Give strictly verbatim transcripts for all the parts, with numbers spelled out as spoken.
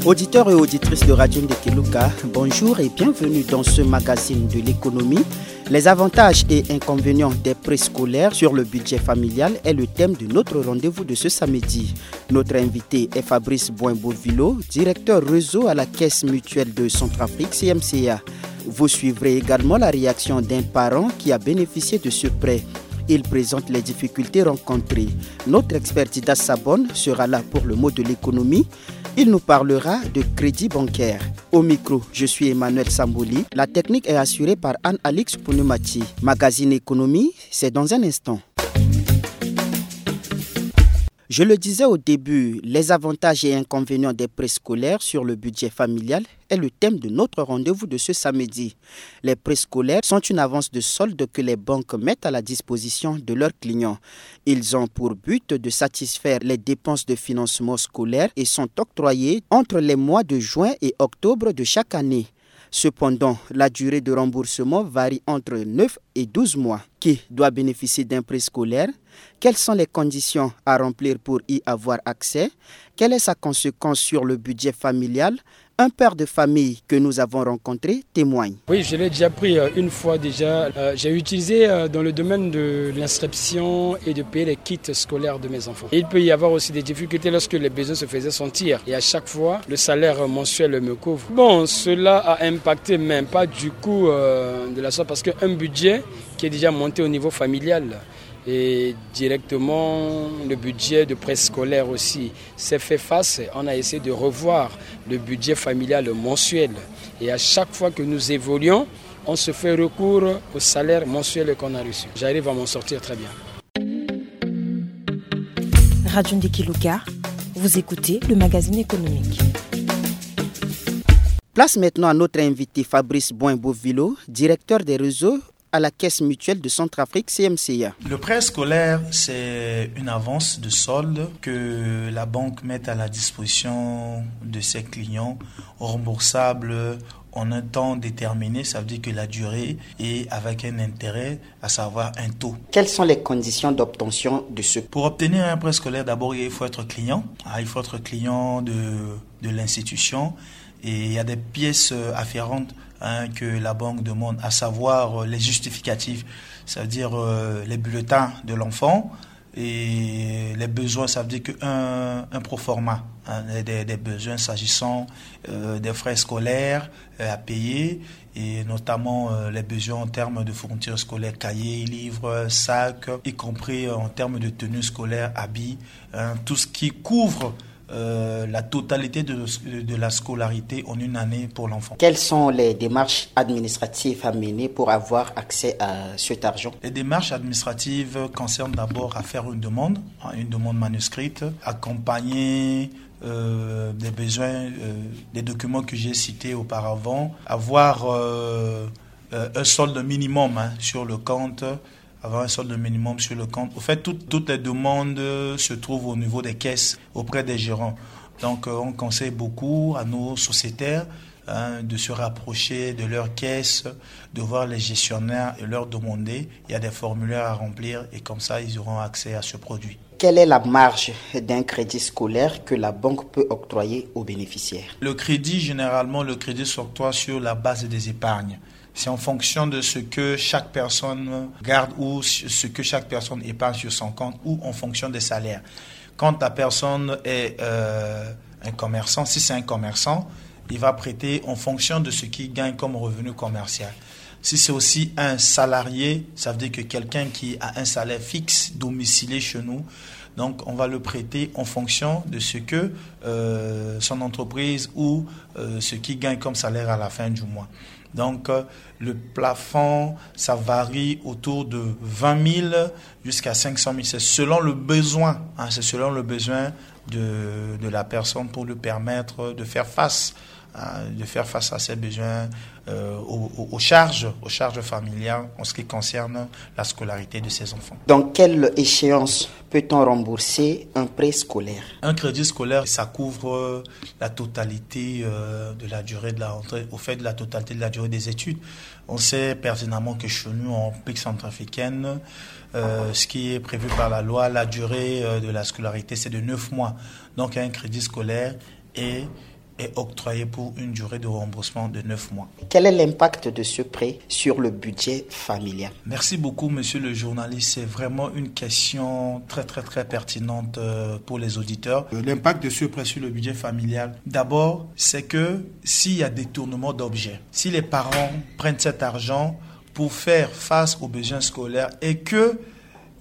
Auditeurs et auditrices de Radio Ndekeluka, bonjour et bienvenue dans ce magazine de l'économie. Les avantages et inconvénients des préscolaires sur le budget familial est le thème de notre rendez-vous de ce samedi. Notre invité est Fabrice Boin-Bovilo, directeur réseau à la Caisse mutuelle de Centrafrique, C M C A. Vous suivrez également la réaction d'un parent qui a bénéficié de ce prêt. Il présente les difficultés rencontrées. Notre expert Dida Sabon sera là pour le mot de l'économie. Il nous parlera de crédit bancaire. Au micro, je suis Emmanuel Samboli. La technique est assurée par Anne-Alix Pounoumati. Magazine Économie, c'est dans un instant. Je le disais au début, les avantages et inconvénients des préscolaires sur le budget familial est le thème de notre rendez-vous de ce samedi. Les préscolaires sont une avance de solde que les banques mettent à la disposition de leurs clients. Ils ont pour but de satisfaire les dépenses de financement scolaire et sont octroyés entre les mois de juin et octobre de chaque année. Cependant, la durée de remboursement varie entre neuf et douze mois. Qui doit bénéficier d'un préscolaire ? Quelles sont les conditions à remplir pour y avoir accès ? Quelle est sa conséquence sur le budget familial ? Un père de famille que nous avons rencontré témoigne. Oui, je l'ai déjà pris, euh, une fois déjà. Euh, j'ai utilisé, euh, dans le domaine de l'inscription et de payer les kits scolaires de mes enfants. Et il peut y avoir aussi des difficultés lorsque les besoins se faisaient sentir. Et à chaque fois, le salaire mensuel me couvre. Bon, cela a impacté, mais pas du coup, euh, de la sorte, parce qu'un budget qui est déjà monté au niveau familial et directement le budget de préscolaire aussi s'est fait face. On a essayé de revoir le budget familial mensuel. Et à chaque fois que nous évoluons, on se fait recours au salaire mensuel qu'on a reçu. J'arrive à m'en sortir très bien. Radio Ndekeluka, vous écoutez le magazine économique. Place maintenant à notre invité Fabrice Boin-Bovilo, directeur des réseaux à la Caisse mutuelle de Centrafrique, C M C A. Le prêt scolaire, c'est une avance de solde que la banque met à la disposition de ses clients, remboursable en un temps déterminé, ça veut dire que la durée est avec un intérêt, à savoir un taux. Quelles sont les conditions d'obtention de ce... Pour obtenir un prêt scolaire, d'abord, il faut être client. Ah, il faut être client de, de l'institution. Et il y a des pièces, euh, afférentes, hein, que la banque demande, à savoir, euh, les justificatifs, c'est-à-dire, euh, les bulletins de l'enfant et les besoins, ça veut dire qu'un un proforma, hein, des, des besoins s'agissant, euh, des frais scolaires, euh, à payer, et notamment, euh, les besoins en termes de fournitures scolaires, cahiers, livres, sacs, y compris, euh, en termes de tenues scolaires, habits, hein, tout ce qui couvre euh, la totalité de, de la scolarité en une année pour l'enfant. Quelles sont les démarches administratives à mener pour avoir accès à cet argent ? Les démarches administratives concernent d'abord à faire une demande, hein, une demande manuscrite, accompagnée, euh, des besoins, euh, des documents que j'ai cités auparavant, avoir, euh, euh, un solde minimum, hein, sur le compte, avoir un solde minimum sur le compte. Au fait, tout, toutes les demandes, euh, se trouvent au niveau des caisses, auprès des gérants. Donc, euh, on conseille beaucoup à nos sociétaires, hein, de se rapprocher de leur caisse, de voir les gestionnaires et leur demander. Il y a des formulaires à remplir et comme ça, ils auront accès à ce produit. Quelle est la marge d'un crédit scolaire que la banque peut octroyer aux bénéficiaires ? Le crédit, généralement, le crédit s'octroie sur la base des épargnes. C'est en fonction de ce que chaque personne garde ou ce que chaque personne épargne sur son compte ou en fonction des salaires. Quand la personne est, euh, un commerçant, si c'est un commerçant, il va prêter en fonction de ce qu'il gagne comme revenu commercial. Si c'est aussi un salarié, ça veut dire que quelqu'un qui a un salaire fixe domicilié chez nous, donc on va le prêter en fonction de ce que, euh, son entreprise ou, euh, ce qu'il gagne comme salaire à la fin du mois. Donc, euh, le plafond, ça varie autour de vingt mille jusqu'à cinq cent mille. C'est selon le besoin, hein, c'est selon le besoin de, de la personne pour lui permettre de faire face, hein, de faire face à ses besoins, euh, aux, aux, aux charges, aux charges familiales en ce qui concerne la scolarité de ses enfants. Dans quelle échéance peut-on rembourser un prêt scolaire ? Un crédit scolaire, ça couvre la totalité, euh, de la durée de la rentrée, au fait, de la totalité de la durée des études. On sait pertinemment que chez nous, en République centrafricaine, euh, ce qui est prévu par la loi, la durée, euh, de la scolarité, c'est de neuf mois. Donc, un crédit scolaire est est octroyé pour une durée de remboursement de neuf mois. Quel est l'impact de ce prêt sur le budget familial ? Merci beaucoup, monsieur le journaliste. C'est vraiment une question très, très, très pertinente euh, pour les auditeurs. Euh, L'impact de ce prêt sur le budget familial, d'abord, c'est que s'il y a détournement d'objets, si les parents prennent cet argent pour faire face aux besoins scolaires et que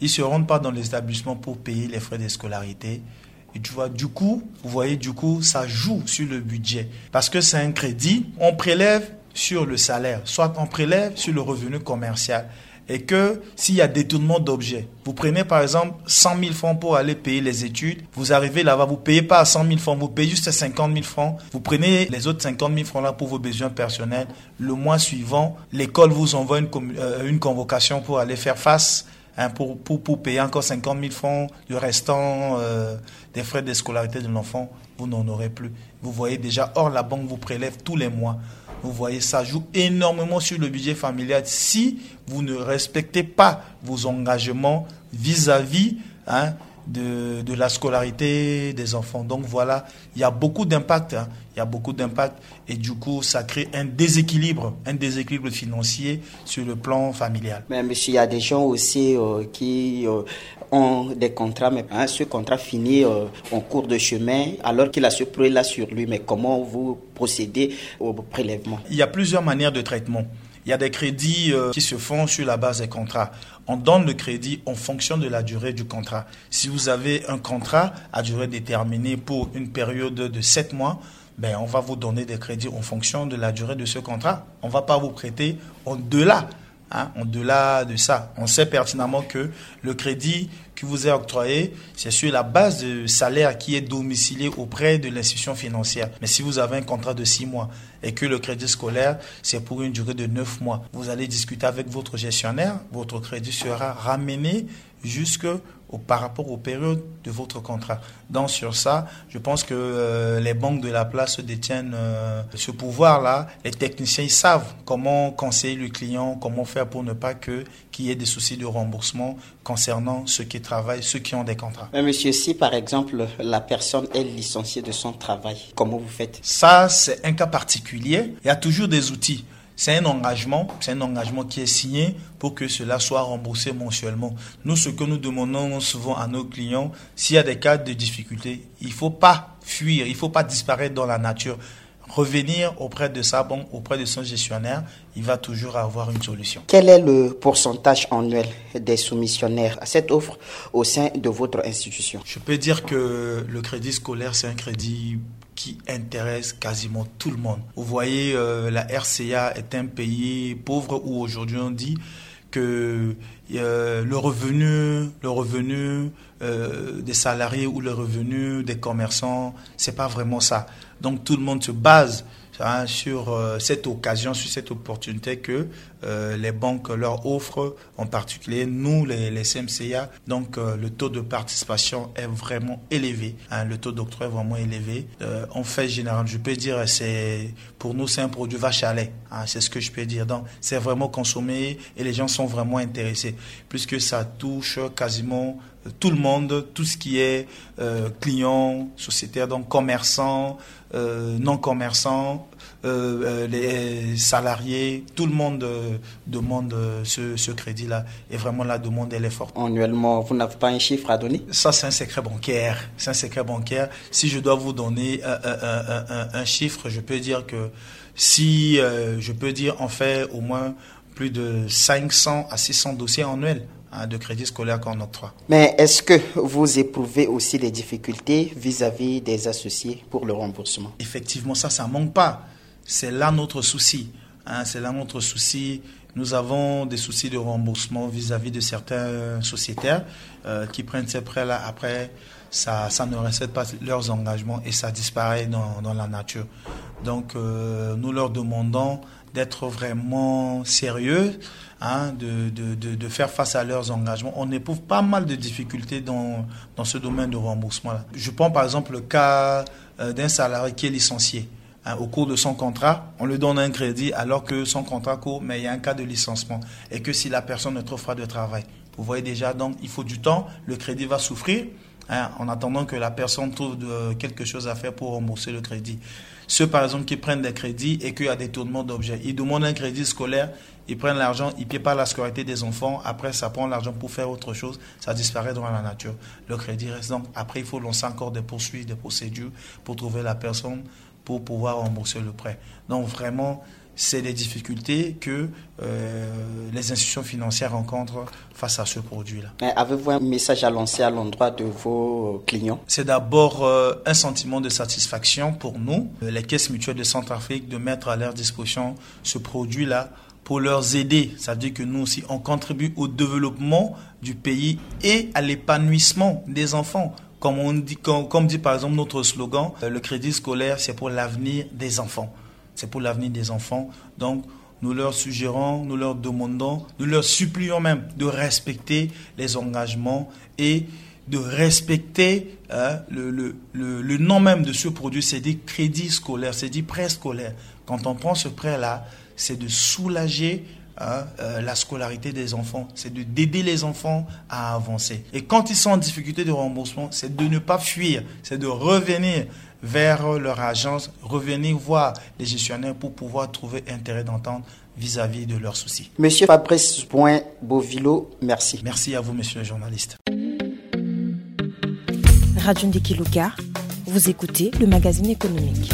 ils se rendent pas dans l'établissement pour payer les frais de scolarité, et tu vois, du coup, vous voyez, du coup, ça joue sur le budget. Parce que c'est un crédit, on prélève sur le salaire, soit on prélève sur le revenu commercial. Et que s'il y a détournement d'objets, vous prenez par exemple cent mille francs pour aller payer les études, vous arrivez là-bas, vous payez pas à cent mille francs, vous payez juste cinquante mille francs, vous prenez les autres cinquante mille francs là pour vos besoins personnels. Le mois suivant, l'école vous envoie une, euh, une convocation pour aller faire face hein, pour, pour, pour payer encore cinquante mille francs du restant euh, des frais de scolarité de l'enfant, vous n'en aurez plus. Vous voyez déjà, or la banque vous prélève tous les mois. Vous voyez, ça joue énormément sur le budget familial si vous ne respectez pas vos engagements vis-à-vis hein, de, de la scolarité des enfants. Donc voilà, il y a beaucoup d'impact. Hein. Il y a beaucoup d'impact et du coup, ça crée un déséquilibre, un déséquilibre financier sur le plan familial. Mais monsieur, il y a des gens aussi euh, qui euh, ont des contrats, mais hein, ce contrat finit euh, en cours de chemin alors qu'il a ce prêt-là sur lui. Mais comment vous procédez au prélèvement ? Il y a plusieurs manières de traitement. Il y a des crédits euh, qui se font sur la base des contrats. On donne le crédit en fonction de la durée du contrat. Si vous avez un contrat à durée déterminée pour une période de sept mois, ben, on va vous donner des crédits en fonction de la durée de ce contrat. On ne va pas vous prêter au-delà. Hein, au-delà de ça, on sait pertinemment que le crédit qui vous est octroyé, c'est sur la base de salaire qui est domicilié auprès de l'institution financière. Mais si vous avez un contrat de six mois et que le crédit scolaire, c'est pour une durée de neuf mois, vous allez discuter avec votre gestionnaire, votre crédit sera ramené jusque au, par rapport aux périodes de votre contrat. Donc sur ça, je pense que euh, les banques de la place détiennent euh, ce pouvoir-là. Les techniciens, ils savent comment conseiller le client, comment faire pour ne pas que qu'il y ait des soucis de remboursement concernant ceux qui travaillent, ceux qui ont des contrats. Mais monsieur, si par exemple la personne est licenciée de son travail, comment vous faites ? Ça, c'est un cas particulier. Il y a toujours des outils. C'est un engagement, c'est un engagement qui est signé pour que cela soit remboursé mensuellement. Nous, ce que nous demandons souvent à nos clients, s'il y a des cas de difficulté, il ne faut pas fuir, il ne faut pas disparaître dans la nature. Revenir auprès de sa banque, auprès de son gestionnaire, il va toujours avoir une solution. Quel est le pourcentage annuel des soumissionnaires à cette offre au sein de votre institution ? Je peux dire que le crédit scolaire, c'est un crédit qui intéresse quasiment tout le monde. Vous voyez, euh, la R C A est un pays pauvre où aujourd'hui on dit que euh, le revenu, le revenu euh, des salariés ou le revenu des commerçants, c'est pas vraiment ça. Donc tout le monde se base hein, sur euh, cette occasion, sur cette opportunité que euh, les banques leur offrent, en particulier nous, les, les C M C A. Donc euh, le taux de participation est vraiment élevé. Hein, le taux d'octroi est vraiment élevé. Euh, en fait général, je peux dire, c'est pour nous, c'est un produit vache à lait. Hein, c'est ce que je peux dire. Donc c'est vraiment consommé et les gens sont vraiment intéressés puisque ça touche quasiment tout le monde, tout ce qui est euh, client, sociétaire, donc commerçant, euh, non-commerçant, euh, euh, les salariés, tout le monde euh, demande euh, ce, ce crédit-là. Et vraiment, la demande, elle est forte. Annuellement, vous n'avez pas un chiffre à donner ? Ça, c'est un secret bancaire. C'est un secret bancaire. Si je dois vous donner un, un, un, un chiffre, je peux dire que si euh, je peux dire, on fait au moins plus de cinq cents à six cents dossiers annuels hein, de crédit scolaire qu'on octroie. Mais est-ce que vous éprouvez aussi des difficultés vis-à-vis des associés pour le remboursement ? Effectivement, ça, ça manque pas. C'est là notre souci. Hein, c'est là notre souci. Nous avons des soucis de remboursement vis-à-vis de certains sociétaires euh, qui prennent ces prêts-là. Après, ça, ça ne respecte pas leurs engagements et ça disparaît dans, dans la nature. Donc, euh, nous leur demandons d'être vraiment sérieux, hein, de, de, de, de faire face à leurs engagements. On éprouve pas mal de difficultés dans, dans ce domaine de remboursement-là. Je prends par exemple le cas euh, d'un salarié qui est licencié. Hein, au cours de son contrat, on lui donne un crédit alors que son contrat court, mais il y a un cas de licenciement et que si la personne ne trouve pas de travail, vous voyez déjà, donc il faut du temps, le crédit va souffrir. hein, en attendant que la personne trouve de, quelque chose à faire pour rembourser le crédit. Ceux, par exemple, qui prennent des crédits et qu'il y a détournement d'objets, ils demandent un crédit scolaire, ils prennent l'argent, ils ne payent pas la scolarité des enfants, après ça prend l'argent pour faire autre chose, ça disparaît dans la nature. Le crédit reste donc, après il faut lancer encore des poursuites, des procédures pour trouver la personne, pour pouvoir rembourser le prêt. Donc vraiment, c'est des difficultés que euh, les institutions financières rencontrent face à ce produit-là. Avez-vous un message à lancer à l'endroit de vos clients ? C'est d'abord euh, un sentiment de satisfaction pour nous, euh, les caisses mutuelles de Centrafrique, de mettre à leur disposition ce produit-là pour leur aider. Ça veut dire que nous aussi, on contribue au développement du pays et à l'épanouissement des enfants. Comme, on dit, comme, comme dit par exemple notre slogan, euh, le crédit scolaire, c'est pour l'avenir des enfants. C'est pour l'avenir des enfants. Donc, nous leur suggérons, nous leur demandons, nous leur supplions même de respecter les engagements et de respecter hein, le, le, le, le, nom même de ce produit, c'est des crédits scolaires, c'est des prêts scolaires. Quand on prend ce prêt-là, c'est de soulager hein, euh, la scolarité des enfants, c'est de d'aider les enfants à avancer. Et quand ils sont en difficulté de remboursement, c'est de ne pas fuir, c'est de revenir vers leur agence, revenir voir les gestionnaires pour pouvoir trouver un terrain d'entente vis-à-vis de leurs soucis. Monsieur Fabrice Point Bovilo, merci. Merci à vous, monsieur le journaliste. Radio Ndiki Luka, vous écoutez le magazine économique.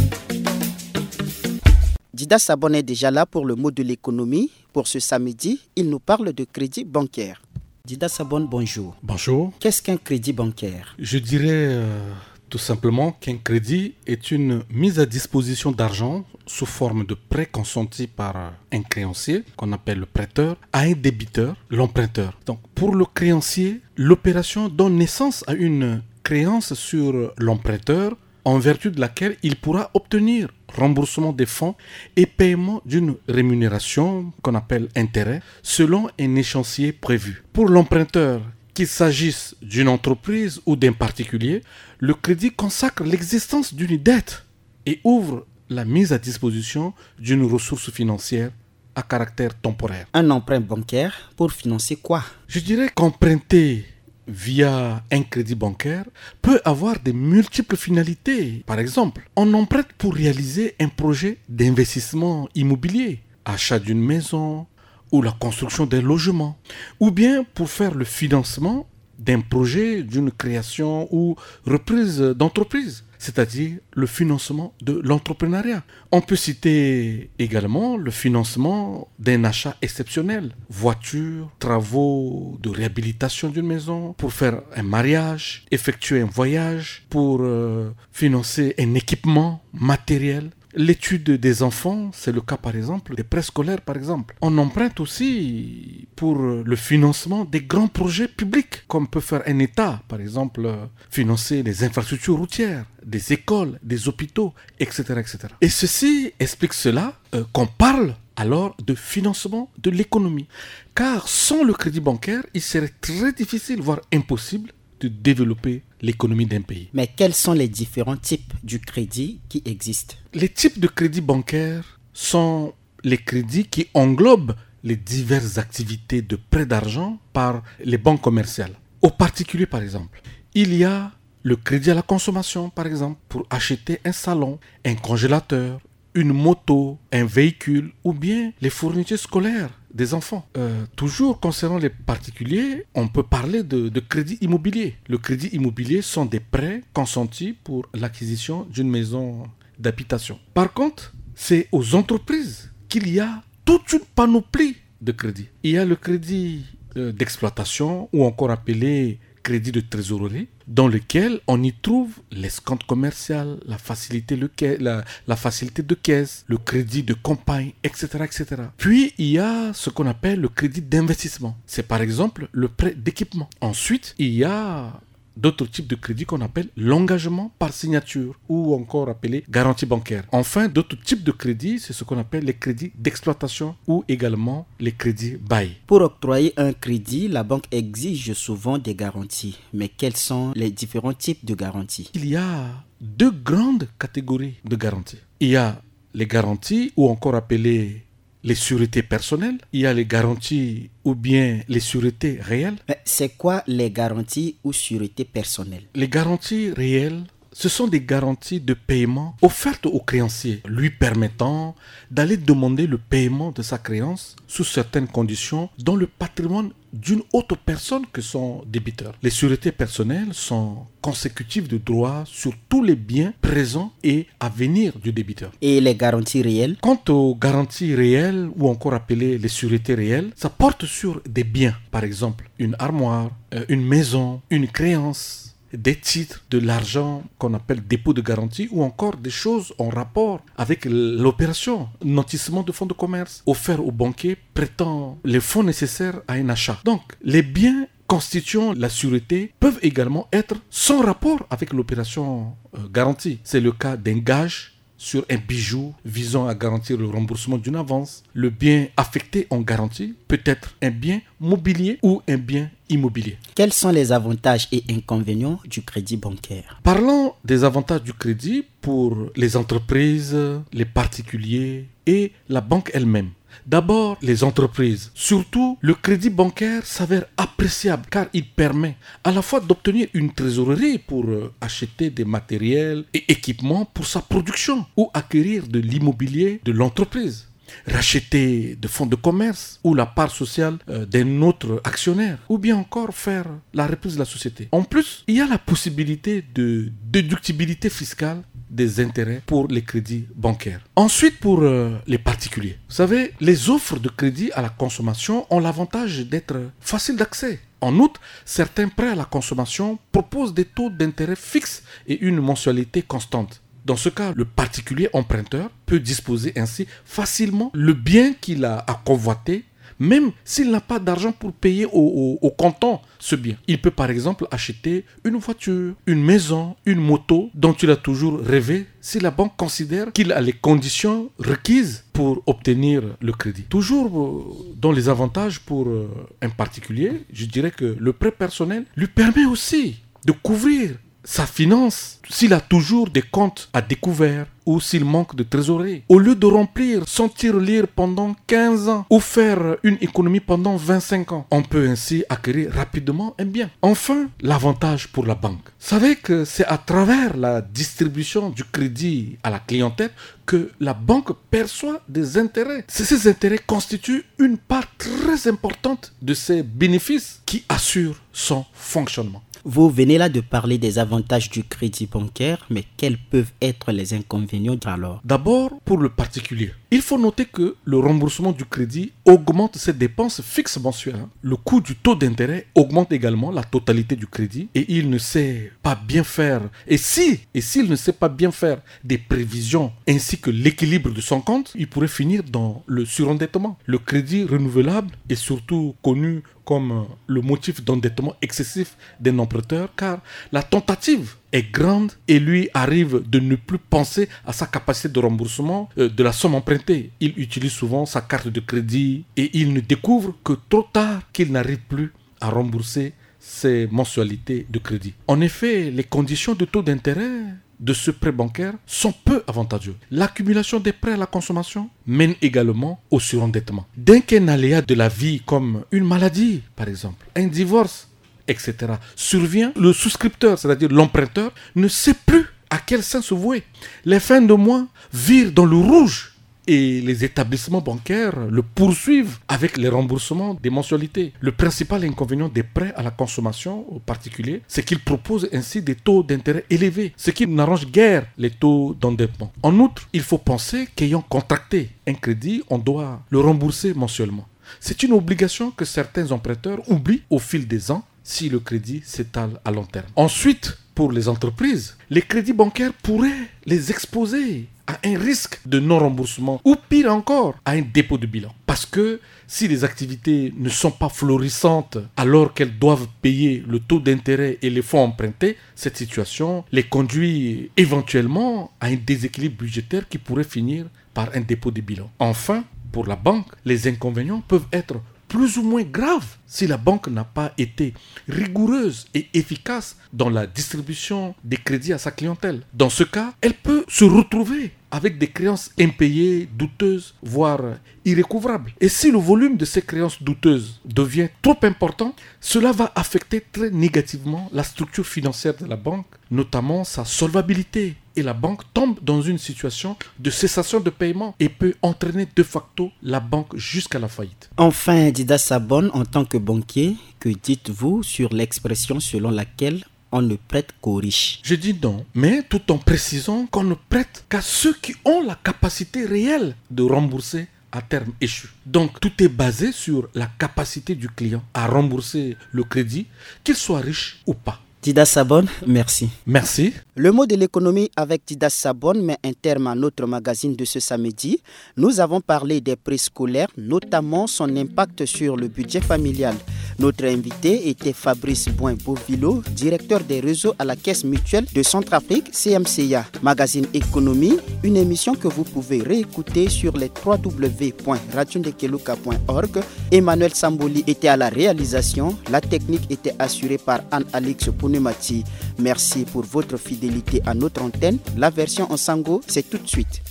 Dida Sabon est déjà là pour le mot de l'économie. Pour ce samedi, il nous parle de crédit bancaire. Dida Sabon, bonjour. Bonjour. Qu'est-ce qu'un crédit bancaire ? Je dirais euh, tout simplement qu'un crédit est une mise à disposition d'argent sous forme de prêt consenti par un créancier, qu'on appelle le prêteur, à un débiteur, l'emprunteur. Donc, pour le créancier, l'opération donne naissance à une créance sur l'emprunteur en vertu de laquelle il pourra obtenir remboursement des fonds et paiement d'une rémunération qu'on appelle intérêt selon un échéancier prévu. Pour l'emprunteur, qu'il s'agisse d'une entreprise ou d'un particulier, le crédit consacre l'existence d'une dette et ouvre la mise à disposition d'une ressource financière à caractère temporaire. Un emprunt bancaire pour financer quoi ? Je dirais qu'emprunter via un crédit bancaire peut avoir de multiples finalités. Par exemple, on emprunte pour réaliser un projet d'investissement immobilier, achat d'une maison ou la construction d'un logement, ou bien pour faire le financement d'un projet, d'une création ou reprise d'entreprise, c'est-à-dire le financement de l'entrepreneuriat. On peut citer également le financement d'un achat exceptionnel, voiture, travaux de réhabilitation d'une maison, pour faire un mariage, effectuer un voyage, pour euh, financer un équipement matériel. L'étude des enfants, c'est le cas par exemple des préscolaires par exemple. On emprunte aussi pour le financement des grands projets publics, comme peut faire un État, par exemple financer les infrastructures routières, des écoles, des hôpitaux, et cetera, et cetera. Et ceci explique cela euh, qu'on parle alors de financement de l'économie. Car sans le crédit bancaire, il serait très difficile, voire impossible, de développer l'économie d'un pays. Mais quels sont les différents types du crédit qui existent ? Les types de crédits bancaires sont les crédits qui englobent les diverses activités de prêt d'argent par les banques commerciales. Au particulier, par exemple, il y a le crédit à la consommation, par exemple, pour acheter un salon, un congélateur, une moto, un véhicule ou bien les fournitures scolaires des enfants. Euh, toujours concernant les particuliers, on peut parler de, de crédit immobilier. Le crédit immobilier sont des prêts consentis pour l'acquisition d'une maison d'habitation. Par contre, c'est aux entreprises qu'il y a toute une panoplie de crédits. Il y a le crédit euh, d'exploitation ou encore appelé crédit de trésorerie dans lequel on y trouve l'escompte commercial, la facilité, le, la, la facilité de caisse, le crédit de campagne, et cetera, et cetera. Puis, il y a ce qu'on appelle le crédit d'investissement. C'est par exemple le prêt d'équipement. Ensuite, il y a d'autres types de crédits qu'on appelle l'engagement par signature ou encore appelé garantie bancaire. Enfin, d'autres types de crédits, c'est ce qu'on appelle les crédits d'exploitation ou également les crédits bail. Pour octroyer un crédit, la banque exige souvent des garanties. Mais quels sont les différents types de garanties ? Il y a deux grandes catégories de garanties. Il y a les garanties ou encore appelées les suretés personnelles, il y a les garanties ou bien les suretés réelles. Mais c'est quoi les garanties ou suretés personnelles ? Les garanties réelles, ce sont des garanties de paiement offertes au créancier, lui permettant d'aller demander le paiement de sa créance sous certaines conditions dans le patrimoine d'une autre personne que son débiteur. Les suretés personnelles sont consécutives de droits sur tous les biens présents et à venir du débiteur. Et les garanties réelles ? Quant aux garanties réelles ou encore appelées les suretés réelles, ça porte sur des biens, par exemple une armoire, euh, une maison, une créance, des titres, de l'argent qu'on appelle dépôt de garantie ou encore des choses en rapport avec l'opération nantissement de fonds de commerce offert au banquier prêtant les fonds nécessaires à un achat. Donc, les biens constituant la sûreté peuvent également être sans rapport avec l'opération euh, garantie. C'est le cas d'un gage sur un bijou visant à garantir le remboursement d'une avance. Le bien affecté en garantie peut être un bien mobilier ou un bien immobilier. Quels sont les avantages et inconvénients du crédit bancaire ? Parlons des avantages du crédit pour les entreprises, les particuliers et la banque elle-même. D'abord, les entreprises. Surtout, le crédit bancaire s'avère appréciable car il permet à la fois d'obtenir une trésorerie pour euh, acheter des matériels et équipements pour sa production ou acquérir de l'immobilier de l'entreprise, racheter des fonds de commerce ou la part sociale euh, d'un autre actionnaire, ou bien encore faire la reprise de la société. En plus, il y a la possibilité de déductibilité fiscale des intérêts pour les crédits bancaires. Ensuite, pour euh, les particuliers, vous savez, les offres de crédit à la consommation ont l'avantage d'être faciles d'accès. En outre, certains prêts à la consommation proposent des taux d'intérêt fixes et une mensualité constante. Dans ce cas, le particulier emprunteur peut disposer ainsi facilement le bien qu'il a à convoiter, même s'il n'a pas d'argent pour payer au, au, au comptant ce bien. Il peut par exemple acheter une voiture, une maison, une moto dont il a toujours rêvé si la banque considère qu'il a les conditions requises pour obtenir le crédit. Toujours euh, dans les avantages pour euh, un particulier, je dirais que le prêt personnel lui permet aussi de couvrir sa finance s'il a toujours des comptes à découvert ou s'il manque de trésorerie. Au lieu de remplir cent tirelires pendant quinze ans ou faire une économie pendant vingt-cinq ans, on peut ainsi acquérir rapidement un bien. Enfin, l'avantage pour la banque. Savez que c'est à travers la distribution du crédit à la clientèle que la banque perçoit des intérêts. Ces intérêts constituent une part très importante de ses bénéfices qui assure son fonctionnement. Vous venez là de parler des avantages du crédit bancaire, mais quels peuvent être les inconvénients alors ? D'abord, pour le particulier, il faut noter que le remboursement du crédit augmente ses dépenses fixes mensuelles. Le coût du taux d'intérêt augmente également la totalité du crédit et il ne sait pas bien faire. Et si, et s'il ne sait pas bien faire des prévisions ainsi que l'équilibre de son compte, il pourrait finir dans le surendettement. Le crédit renouvelable est surtout connu comme le motif d'endettement excessif d'un emprunteur, car la tentative est grande et lui arrive de ne plus penser à sa capacité de remboursement euh, de la somme empruntée. Il utilise souvent sa carte de crédit et il ne découvre que trop tard qu'il n'arrive plus à rembourser ses mensualités de crédit. En effet, les conditions de taux d'intérêt de ce prêt bancaire sont peu avantageux. L'accumulation des prêts à la consommation mène également au surendettement. Dès qu'un aléa de la vie comme une maladie, par exemple, un divorce, et cetera, survient, le souscripteur, c'est-à-dire l'emprunteur, ne sait plus à quel sens se vouer. Les fins de mois virent dans le rouge et les établissements bancaires le poursuivent avec les remboursements des mensualités. Le principal inconvénient des prêts à la consommation aux particuliers, c'est qu'ils proposent ainsi des taux d'intérêt élevés, ce qui n'arrange guère les taux d'endettement. En outre, il faut penser qu'ayant contracté un crédit, on doit le rembourser mensuellement. C'est une obligation que certains emprunteurs oublient au fil des ans si le crédit s'étale à long terme. Ensuite, pour les entreprises, les crédits bancaires pourraient les exposer à un risque de non-remboursement ou pire encore, à un dépôt de bilan. Parce que si les activités ne sont pas florissantes alors qu'elles doivent payer le taux d'intérêt et les fonds empruntés, cette situation les conduit éventuellement à un déséquilibre budgétaire qui pourrait finir par un dépôt de bilan. Enfin, pour la banque, les inconvénients peuvent être plus ou moins graves si la banque n'a pas été rigoureuse et efficace dans la distribution des crédits à sa clientèle. Dans ce cas, elle peut se retrouver avec des créances impayées, douteuses, voire irrécouvrables. Et si le volume de ces créances douteuses devient trop important, cela va affecter très négativement la structure financière de la banque, notamment sa solvabilité. Et la banque tombe dans une situation de cessation de paiement et peut entraîner de facto la banque jusqu'à la faillite. Enfin, Dida Sabon, en tant que banquier, que dites-vous sur l'expression selon laquelle on ne prête qu'aux riches ? Je dis non, mais tout en précisant qu'on ne prête qu'à ceux qui ont la capacité réelle de rembourser à terme échu. Donc, tout est basé sur la capacité du client à rembourser le crédit, qu'il soit riche ou pas. Dida Sabon, merci. Merci. Le mot de l'économie avec Dida Sabon met un terme à notre magazine de ce samedi. Nous avons parlé des préscolaires, notamment son impact sur le budget familial. Notre invité était Fabrice Boin Bovilo, directeur des réseaux à la Caisse mutuelle de Centrafrique, C M C A. Magazine Économie, une émission que vous pouvez réécouter sur les trois W point radio ndekeluka point org. Emmanuel Samboli était à la réalisation. La technique était assurée par Anne-Alix Pounemati. Merci pour votre fidélité à notre antenne. La version en sango, c'est tout de suite.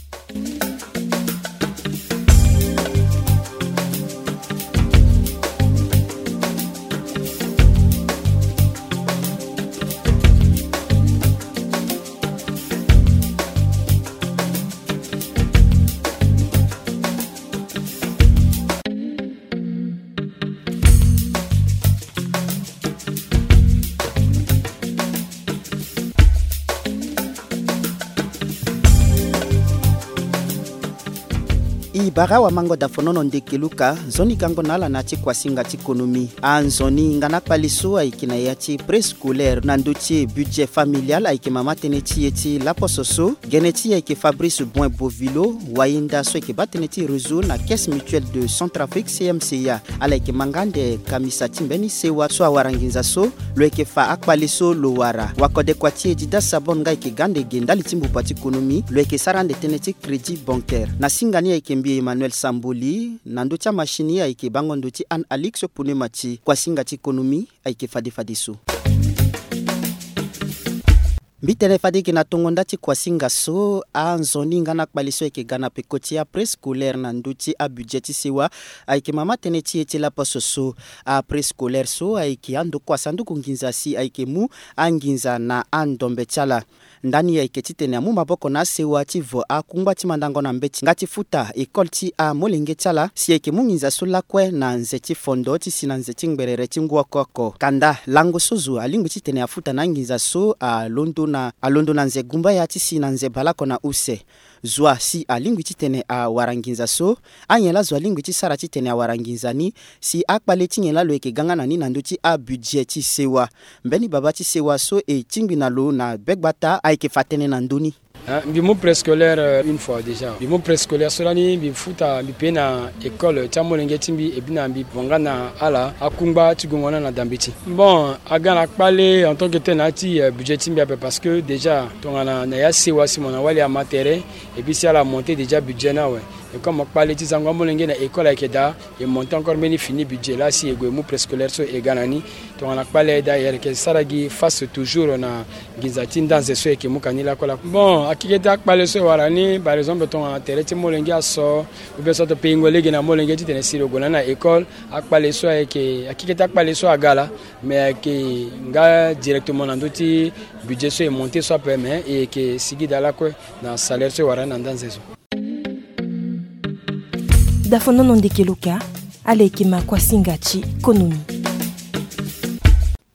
I bara wa mango dafonono ndeke luka, nzoni kango na ala na ti kuasinga ti konomi. Anzoni nga na kpali so ayeke na ya ti préscolaire na ndö ti budget familial ayeke mama tënë ti e ti laposo so. Gene ti e ayeke Fabrice Boin Bovilo, wayenda so ayeke baa tënë ti réseau na Caisse Mutuelle de Centrafrique, C M C A. Ala yeke ma nga ande kamisa ti mbeni sewa so awara nginza so, lo yeke fa akpale so lo wara. Wakodekua ti e Dida Sabon nga ayeke ga ande ge ndali ti mbuba ti konomi, lo yeke sara ande tënë ti crédit bancaire. Na singa ni ayeke mbi Emmanuel Samboli, na ndö ti amachine ayeke bango ndo ti Anne Alix Pounemati. Kuasinga ti konomi ayeke fade fadeso. Mbi tene fade eke na tongo nda ti kuasinga so, anzoni nga na kpali so ayeke ga na peko ti apréscolaire na ndö ti abudget ti sewa, ayeke mama tënë ti e ti laposo so. Apréscolaire so ayeke ando kua sanduku nginza si ayeke mu anginza na andombe ti ala. Ndani ayeke titene amu maboko na asewa ti vo akungba ti mandango na mbeti nga ti futa école ti amolenge ti ala si ayeke mu nginza so lakue na nze ti fondo ti si na nze ti ngberere ti ngu oko oko. Kanda lango so zo alingbi titene afuta na anginza so alondo na, alondo na nze gumbaya ti si na nze baleoko na use. Zo asi alingbi titene awara nginza so, anyen laa zo alingbi ti sara titene awara nginza ni, si akpale ti nyen laa lo yeke ga nga na ni na ndö ti abudget ti sewa. Mbeni baba ti sewa so e tingbi na lo na begbata ayeke fa tënë na ndö ni. Ah, mbi mu préscolaire, euh, une fois déjà. Mbi mu préscolaire so lani mbi futa, mbi paye na école ti amolenge ti mbi, et puis na mbi vo nga na ala akungba ti gongo na na dambe ti. Bon, aga na kpale en tant que tel na ya ti, euh, budget ti mbi ape, parce que déjà tongana na ya sewa si mo na wali ama tere, et puis si ala monter déjà budget ni awe. Et comme kpale ti zango amolenge na école ayeke daa, e monter encore mbeni fini budget laa si e gue e mu préscolaire so e ga na ni. Tongana kpale aye daa, e yeke sara gi face toujours na nginza ti ndanze so e yeke mu ka ni lakue lakue. Bon, akeke ti akpale so e wara ni, par exemple tongana tere ti molenge aso, ou bien so ato payingo lege na molenge titene si lo gue na ni na école, akpale so ayeke, akeke ti akpale so aga laa, mais ayeke nga directement na ndö ti budget so e monter so ape, mais e yeke sigi daa lakue na salaire so e wara ni na ndanze so. Dafonono ndeke luka, ala yeke ma kuasinga ti konomi.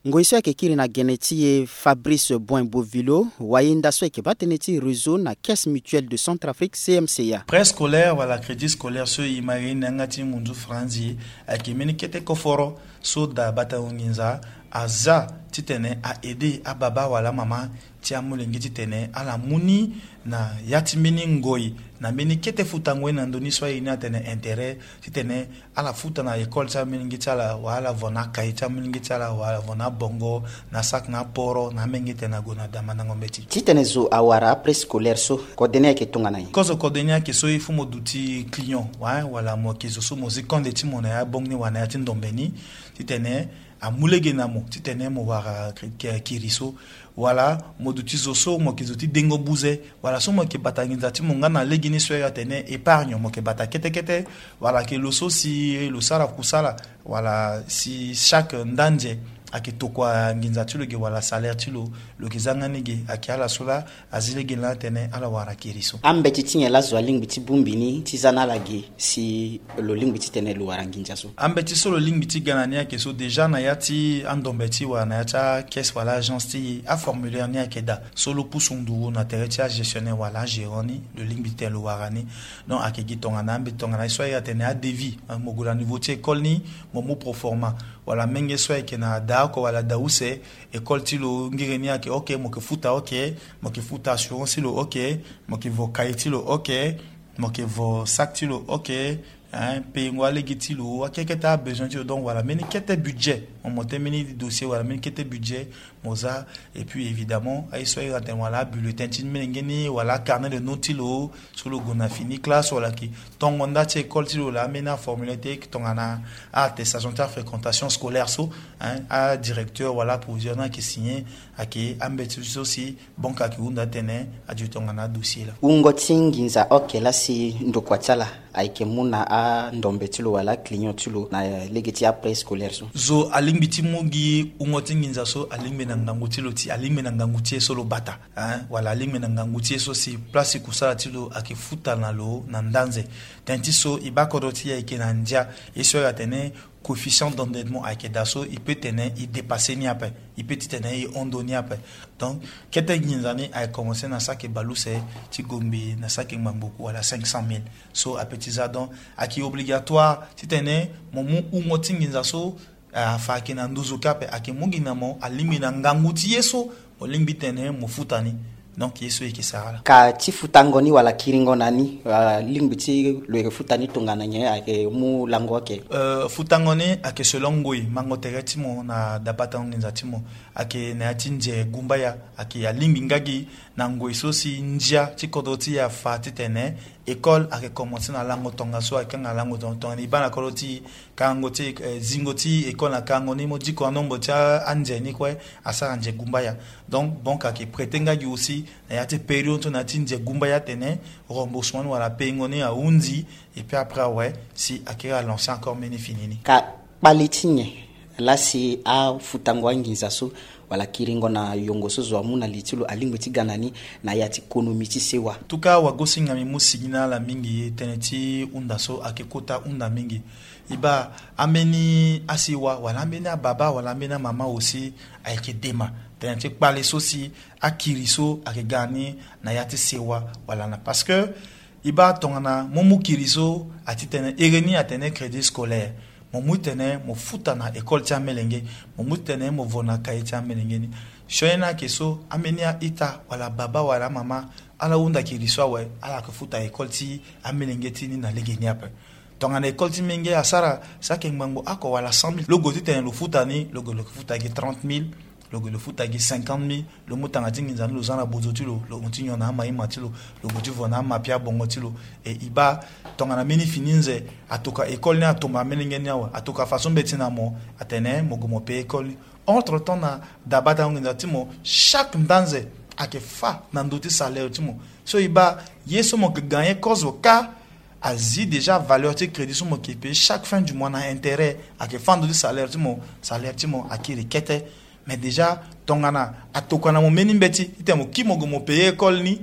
Ngoi so ayeke kiri na gene ti e Fabrice Boin Bovilo, wayenda so ayeke baa tënë ti réseau na Caisse Mutuelle de Centrafrique, C M C A. Préscolaire wala crédit scolaire so e ma ye ni na yanga ti ngunzu franzi, ayeke mbeni kete koforo so daa batango nginza aza titene a aider ababa wala amama ti amolenge titene ala mu ni na ya ti mbeni ngoi, na mbeni kete futango ye na ndö ni so aye ni atene intérêt, titene ala futa na école ti amolenge ti ala, wala ala vo na akaye ti amolenge ti ala, wala ala vo na abongo, na sac na aporo, na amenge titene ague na da mandango mbeti. Titene zo awara apréscolaire so, kode ni ayeke tongana nyen? Kozo kode ni ayeke so il faut mo duti client, wa, wala mo yeke zo so mo zi konde ti mo na ya banque ni wala na ya ti ndombe ni, titene Amu lege na mo titene mo wara kiri so, wala mo duti zo so mo yeke zo ti dengo buze, wala so mo yeke bata nginza ti mo nga na legeni so e atene épargne, mo yeke bata kete kete, wala ayeke lo so si lo sara kusala, wala si chaque ndanze ayeke tokua nginza ti lo ge wala salaire ti lo, lo yeke za nga ni ge, ayeke ala so laa azi lege na ala tene ala wara kiri so. Ambeti ti nyen laa zo alingbi ti bongbi ni ti za na ala ge si lo lingbi titene lo wara nginza so? Ambeti so lo lingbi ti ga na ni ayeke so, déjà na ya ti andombe ti e wala na ya ti acaisse wala agence ti e, aformulaire ni ayeke daa. So lo pusu nduru na tere ti agestionnaire wala agérant ni, lo lingbi titene lo wara ni. Donc ayeke gi tongana ambeti tongana ye so aye atene adevis, mo gue na niveau ti école ni, mo mu proforma, wala menge so ayeke na da oko wala da use, école ti lo ngiri ni ayeke ok, mo yeke futa ok, mo yeke futa assurance ti lo ok, mo yeke vo cahier ti lo ok, mo yeke vo sac ti lo ok, hein, peyengo alege ti lo, akekete abesoin ti lo. Donc wala mbeni kete budget, mo monte mbeni dossier wala mbeni kete budget, mo za. Et puis évidemment aye so aye atene wala abulletin ti melenge ni wala acarnet de note ti lo, so lo gue na fini classe wala ayeke tongo nda ti école ti lo, laa ambeni aformulaire ti tongana aattestation ti afréquentation scolaire so, hein, adirecteur wala aproviseur ni ayeke signer, ayeke ambeti so si banque ayeke hunda titene adio tongana adossier laa. Wungo ti nginza oke laa si ndokua ti ala ayeke mu na andombe ti lo wala aclient ti lo na lege ti apréscolaire so? Zo alingbi ti mu gi wungo ti nginza so alingbi na ngangu ti lo ti, alingbi na ngangu ti e so lo bata, hein, wala alingbi na ngangu ti e so si place ti kusala ti lo ayeke futa na lo na ndanze. Tënë ti so e baa kodro ti e ayeke na ndia, ye so e atene coefficient d'endettement ayeke daa so e peut tene e dépasser ni ape, e peut titene e hon ndo ni ape. Donc kete nginza ni ayeke commencer na saki bale use ti gombe na saki ngbangbo wala cinq cent mille. So ape ti za, donc ayeke obligatoire titene mo mu wungo ti nginza so, afa ayeke na nduzu kâ ape, ayeke mu gi na mo alingbi na ngangu ti ye so mo lingbi titene mo futa ni. Donc ye so e yeke sara laa. Ka ti futango ni wala kiringo na ni, ah, lingbi ti lo yeke futa ni tongana nyen, ayeke mu lango oke? Euh, futango ni ayeke selon ngoi mango tere ti mo na dabatango nginza ti mo. Ayeke na ya ti nze gumbaya, ayeke alingbi nga gi na ngoi so si ndia ti kodro ti e afa titene école ayeke commencer na lango tongaso, ayeke kanga lango tongaso tongana e baa na kodro ti e, karango ti, eh, zingo ti école na karango ni mo diko na nombre ti a-, anze ni kue asara nze gumbaya. Donc banque ayeke prêter nga gi aussi na ya ti période so na ya ti nze gumbaya atene remboursement ni wala peyengo ni ahunzi, et puis après awe si akiri alancer encore mbeni fini ni. Ka kpale ti nyen laa si afutango anginza so wala kiringo na yongo so zo amu na li ti lo alingbi ti ga na ni na ya ti konomi ti sewa? En tout cas wagosinga mbi mu sigi na ala mingi, tënë ti hunda so ayeke kota hunda mingi. E baa ambeni asewa wala ambeni ababa wala ambeni amama aussi ayeke dema tënë ti kpale so si akiri so ayeke ga na ni na ya ti sewa wala na, parce que e baa tongana mo mu kiri so ati tene ere ni atene crédit scolaire, mo mu titene mo futa na école ti amelenge, mo mu titene mo vo na cahier ti amelenge ni. Sioni ni ayeke so ambeni a-ita wala baba wala amama ala hunda kiri so awe, ala yeke futa école ti amelenge ti ni na legeni ape. Tongana école ti menge asara saki ngbangbo oko wala cent mille, lo gue titene lo futa ni, lo gue lo yeke futa gi trente mille, lo gue lo futa gi cinquante mille, lo mu tanga ti nginza ni lo za na bozo ti lo, lo mu ti nyon na ama ima ti lo, lo gue ti vo na ama pia bongo ti lo. E e baa tongana mbeni fini nze atoka école ni atomba amelenge ni awe, atoka façon mbeti na mo atene mo gue mo payer école ni. Entre temps na dabatango nginza ti mo, chaque ndanze ayeke fa na ndö ti salaire ti mo. So e baa ye so mo yeke gagner kozo kâ azi déjà valeur ti crédit so mo yeke payer chaque fin du mois na intérêt ayeke fa na ndö ti salaire ti mo. Salaire ti mo akiri kete. Mais déjà tongana atokua na mo mbeni mbeti titene mo kiri mo gue mo payer école ni,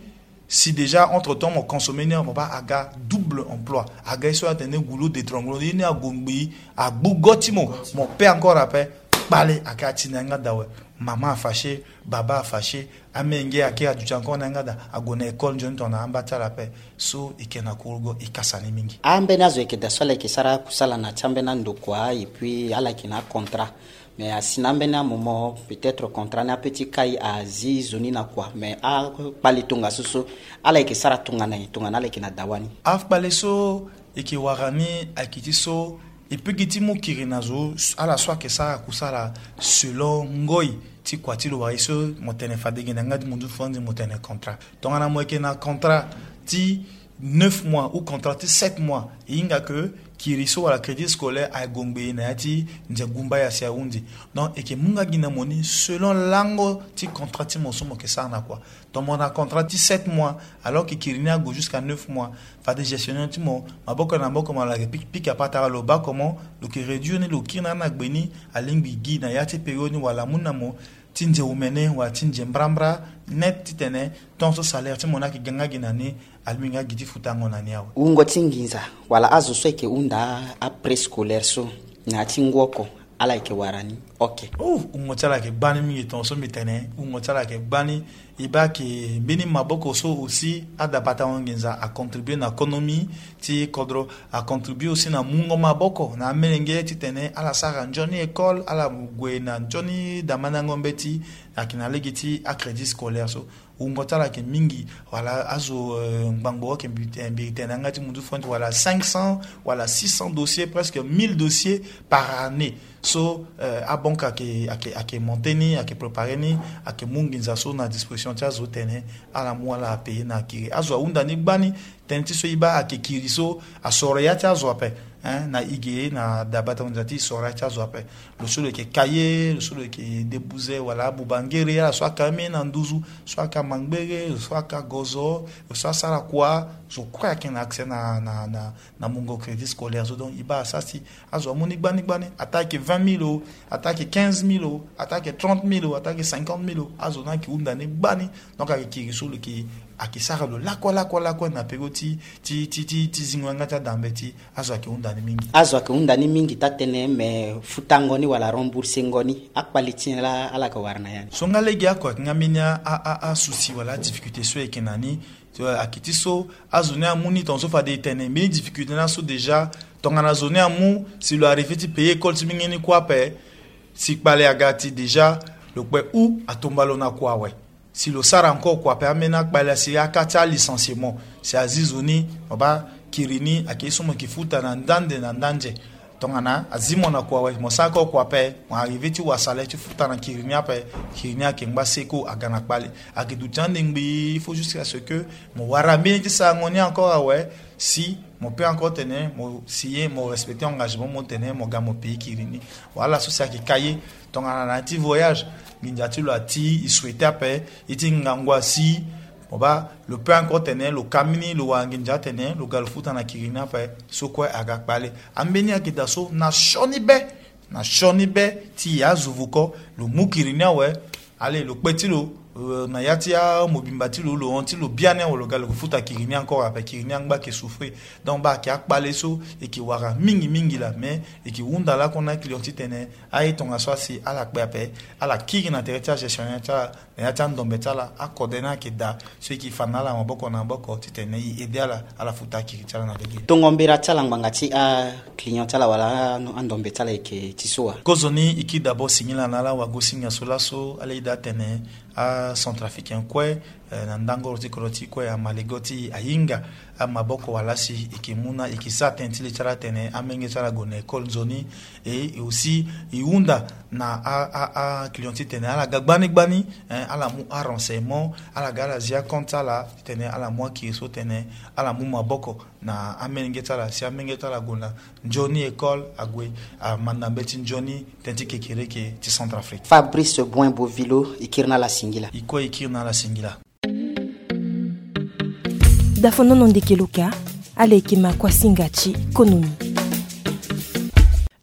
si déjà entre temps mo consommer ni, mo baa aga double emploi, aga ye so atene goulot d'étranglement, ye ni ague ngbii, agbu go ti mo, mo payer encore ape. Kpale ayeke ati na yanga daa awe. Mama afâché, baba afâché, amenge ayeke aduti encore na yanga daa, ague na école nzoni tongana amba ti ala ape. So e yeke na kurugo, e kasa ni mingi. Ambeni azo ayeke daa so ala yeke sara akusala na ya ti ambeni andokua et puis ala yeke na acontrat. Mais asi na ambeni amoment peut-être contrat ni ape ti kai azi zo ni na kua. Mais akpale tongaso so ala yeke sara tongana nyen tongana ala yeke na dawa ni? Akpale so e yeke wara ni ayeke ti so e peut gi ti mu kiri na zo, ala so ayeke sara kusala selon ngoi ti kua ti lo wala ye so mo tene fade gi na yanga ti mo nduzu fo anzi mo tene contrat. Tongana mo yeke na contrat ti neuf mois ou contrat ti sept mois, e hinga ke Kiri so wala crédit scolaire aye gongbe na ya ti nze gumba ya si ahunzi. Donc e yeke mu nga gi na mo ni selon lango ti contrat ti mo so mo yeke sara na kua. Tongana contrat ti sept mois, alors que kiri ni ague jusqu'à neuf mois, fade gestionnaire ti mo maboko na maboko mo lake piki piki apatara lo baa comment lo yeke réduire ni, lo kiri na ala na gbe ni. Alingbi gi na ya ti période ni wala amu na mo ti nze omene wala ti nze mbrambra net titene temps so salaire ti mo ni ayeke ga nga gi na ni, alingbi nga gi ti futango na ni awe. Wungo ti nginza wala azo so ayeke hunda apréscolaire so na ya ti ngu oko, ala yeke wara ni? Ok. Oh, wungo ti ala yeke gbani mingi. Tongaso mbi tene wungo ti ala yeke gbani. E baa ayeke mbeni maboko so aussi adabatango nginza acontribue na économie ti kodro, acontribue aussi na mungo maboko na amelenge titene ala sara nzoni école, ala gue na nzoni damandango mbeti. Ayeke na lege ti acrédit scolaire so wungo ti ala ayeke mingi. Wala azo, euh, ngbangbo ayeke mbi, eh, mbi tene na yanga ti munzu fo ni ti wala cinq cents wala six cents dossiers, presque mille dossiers par année. So, euh, abanque ayeke, ayeke, ayeke monter ni, ayeke préparer ni, ayeke mu nginza so na disposition ti azo tene ala mu ala apayer na akiri. Azo ahunda ni gbani. Tënë ti so e baa ayeke kiri so asoro ya ti azo ape, hein, na e ge na dabatango nginza ti e soro ya ti azo ape. Lo so lo yeke cahier, lo so lo yeke debuze wala abuba ngere, ala so aka ame na nduzu, so aka mangbere, lo so aka gozo, lo so asara kua, zo kue ayeke na accès na, na, na, na mungo crédit scolaire so. Donc e baa asara si azo amu ni gbani gbani, ata ayeke vingt mille o, ata ayeke quinze mille o, ata ayeke trente mille o, ata ayeke cinquante mille o, azo ni ayeke hunda ni gbani. Donc ayeke kiri so lo yeke, ayeke sara lo lakue lakue lakue na peko ti, ti, ti, ti, ti zingo yanga ti adambe ti azo ayeke hunda ni mingi. Azo ayeke hunda ni mingi taa tënë, me futango ni wala remboursengo ni, akpale ti nyen laa ala yeke wara na ya ni? So nga lege oko ayeke nga mbeni a, a, a, asouci wala adifficulté so e yeke na ni. So ayeke ti so azo ni amu ni tongaso fade e tene mbeni difficulté ni aso déjà. Tongana zo ni amu, si lo arrivé ti payer école ti mingi ni kue ape, si kpale aga ti déjà, lo kpe ou atomba lo na kua awe. Si lo sara encore kua ape, ambeni akpale asi aka ti alicenciement, si azi zo ni, mo baa kiri ni ayeke ye so mo yeke futa na ndande na ndande. Tongana azi mo na kua awe, mo sara encore kua ape, mo arrivé ti wara salaire ti futa na kiri ni ape, kiri ni ayeke ngba seko aga na kpale. Ayeke duti ande ngbii, il faut jusqu'à ce que mo wara mbeni ti sarango ni encore awe, si mo peut encore tene mo signer, mo respecter engagement mo tene mo ga mo payer kiri ni. Wala so si ayeke ka ye. Tongana na ya ti voyage, nginza ti lo ati, e souhaiter ape, e ti ngangu asi, mo baa, lo peut encore tene lo ka mbeni, lo wara nginza atene lo ga lo futa na kiri ni ape, so kue aga kpale. Ambeni ayeke daa so na sioni be, na sioni be ti e azo vuko, lo mu kiri ni awe. Allez, lo kpe ti lo, euh, na ya ti amobimba ti lo, lo hon ti lo biani awe, lo ga lo futa kiri ni encore ape, kiri ni angba ayeke souffrir. Donc baa ayeke akpale so e yeke wara mingi mingi laa, mais e yeke hunda lakue na aclient titene aye tongaso asi ala kpe ape, ala kiri na tere ti agestionnaire ti ala, na ya ti andombe ti ala, akode ni ayeke daa, so e yeke fa na ala maboko na maboko titene e aider ala, ala futa akiri ti ala na lege. Tongo mbira ti ala ngbanga ti aclient ti ala wala a, andombe ti ala e yeke ti so wa? Kozoni e kiri d'abord singila na ala wagosinga so laso, ala yeda atene acentrafricain kue, eh, na ndangoro ti kodro ti e kue, amalego ti e ahinga amaboko wala si e yeke mu na e yeke sara tënë ti le ti ala tene amenge ti ala ague na école nzoni. Et aussi e hunda na a, a, aclient titene ala ga gbani gbani, eh, ala mu arenseignement, ala ga ala zi acompte ti ala titene ala mu akiri so tene ala mu maboko na amenge ti ala si amenge ti ala ague na nzoni école, ague amanda mbeti nzoni tënë ti kekereke ti Centrafrique. Fabrice Boin Bovilo, e kiri na ala singila. E kue e kiri na ala singila. Dafonono ndeke lo ka, ala yeke ma kuasinga ti konomi.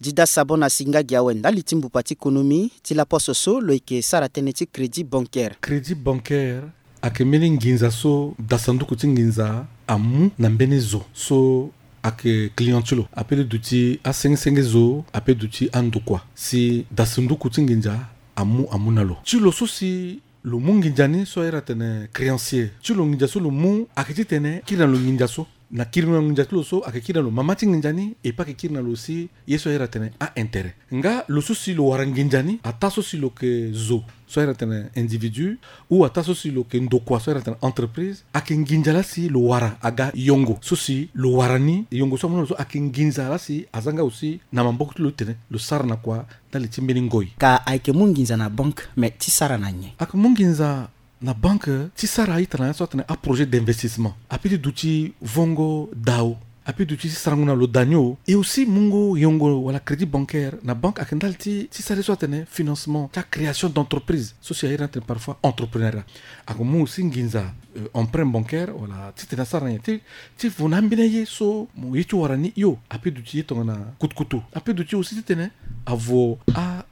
Dida Sabon asinga gi awe ndali ti mbupa ti konomi ti laposo so lo yeke sara tënë ti crédit bancaire. Crédit bancaire ayeke mbeni nginza so dasanduku ti nginza amu na mbeni zo so ayeke client ti lo, ape ti duti asenge senge zo, ape ti duti andokua, si dasanduku ti nginza amu amu na lo. Ti lo so si lo mu nginza ni so ahiri atene créancier, ti lo nginza so lo mu ayeke titene kiri na lo nginza so. Na kiri na lo nginza ti lo so ayeke kiri na lo mama ti nginza ni, e pe ayeke kiri na lo si ye so ahiri atene a-intérêt. Nga lo so si lo wara nginza ni, ataa so si lo yeke zo so ahiri atene individu, ou ataa so si lo yeke ndokua so ahiri atene entreprise, ayeke nginza laa si lo wara aga yongo so si lo wara ni, yongo so amu na lo so ayeke nginza laa si aza nga aussi na maboko ti lo titene lo sara na kua ndali ti mbeni ngoi. Ka ayeke mu nginza na banque, mais ti sara na nyen? Ayeke mu nginza na banque ti sara itene ya so atene aprojet d'investissement, ape ti duti vongo dao. Ape duti ti sarango na lo da ni o. Et aussi mungo yongo wala crédit bancaire na banque ayeke ndali ti ti sara ye so atene financement ti acréation d'entreprise so si airi ni atene parfois entrepreneuriat. Ayeke mu aussi nginza emprunt bancaire wala titene asara nyen ti ti vo na ambeni aye so mo ye ti wara ni hio. Ape duti ye tongana kutukutu. Ape duti aussi titene avo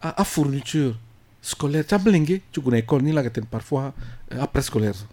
afourniture scolaire ti amolenge ti gue na école ni laa ayeke tene parfois apréscolaire so.